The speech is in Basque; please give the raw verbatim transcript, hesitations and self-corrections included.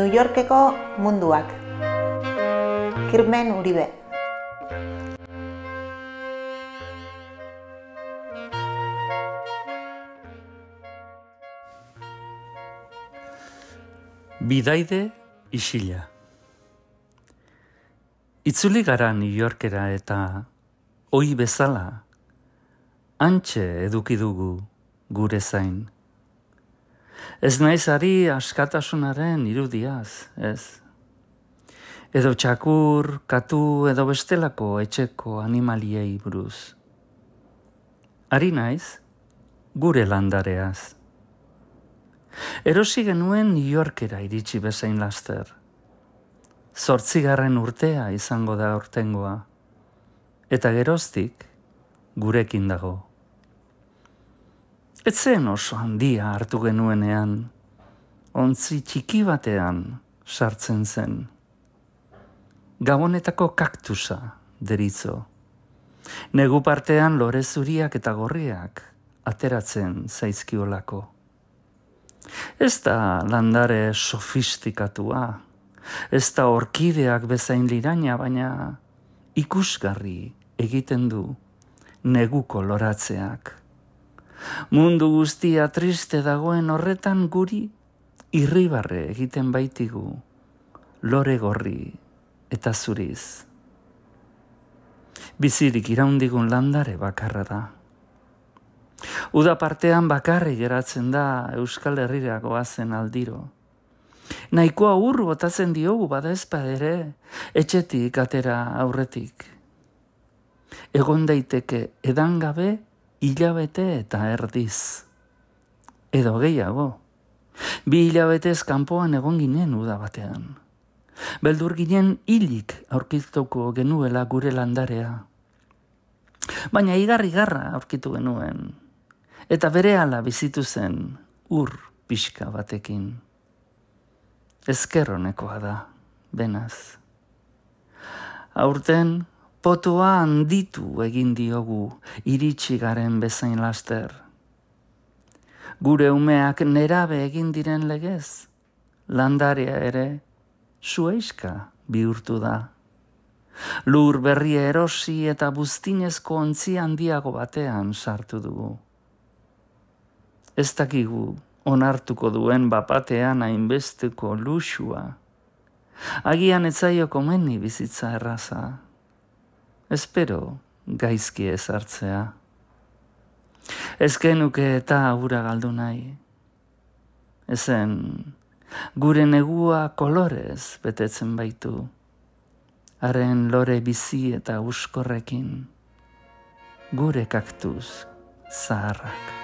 New Yorkeko munduak. Kirmen Uribe. Bidaide isila. Itzuli gara New Yorkera eta ohi bezala hantxe eduki dugu gure zain. Ez naiz ari askatasunaren irudiaz, ez. Edo txakur, katu edo bestelako etxeko animaliei buruz. Ari naiz gure landareaz. Erosi genuen New Yorkera iritsi bezain laster. Zortzigarren urtea izango da aurtengoa. Eta geroztik gurekin dago. Ez zen oso handia hartu genuenean, ontzi txiki batean sartzen zen. Gabonetako kaktusa deritzo. Negu partean lore zuriak eta gorriak ateratzen zaizkiolako. Ez da landare sofistikatua, ez da orkideak bezain liraina, baina ikusgarri egiten du neguko loratzeak. Mundu guztia triste dagoen horretan guri irribarre egiten baitigu, lore gorri eta zuriz. Bizirik iraundigun landare bakarra da. Uda partean bakarri geratzen da Euskal Herrira goazen aldiro. Nahikoa ur botatzen diogu bada ezpadere, etxetik atera aurretik. Egon daiteke edangabe hilabete eta erdiz. Edo gehiago. Bi hilabetez kanpoan egon ginen uda batean. Beldur ginen hilik aurkituko genuela gure landarea. Baina igarri-garra aurkitu genuen. Eta berehala bizitu zen ur pixka batekin. Ezker honekoa da, benaz. Aurten potoa handitu egin diogu iritsi garen bezain laster. Gure umeak nerabe egin diren legez, landarea ere zuhaixka bihurtu da. Lur berria erosi eta buztinezko ontzi handiago batean sartu dugu. Ez dakigu onartuko duen bapatean hainbesteko luxua. Agian ez zaio komeni bizitza erraza. Espero gaizki ezartzea. Ez genuke eta ura galdu nahi. Ezen gure negua kolorez betetzen baitu. Haren lore bizi eta uskorrekin. Gure kaktuz zaharrak.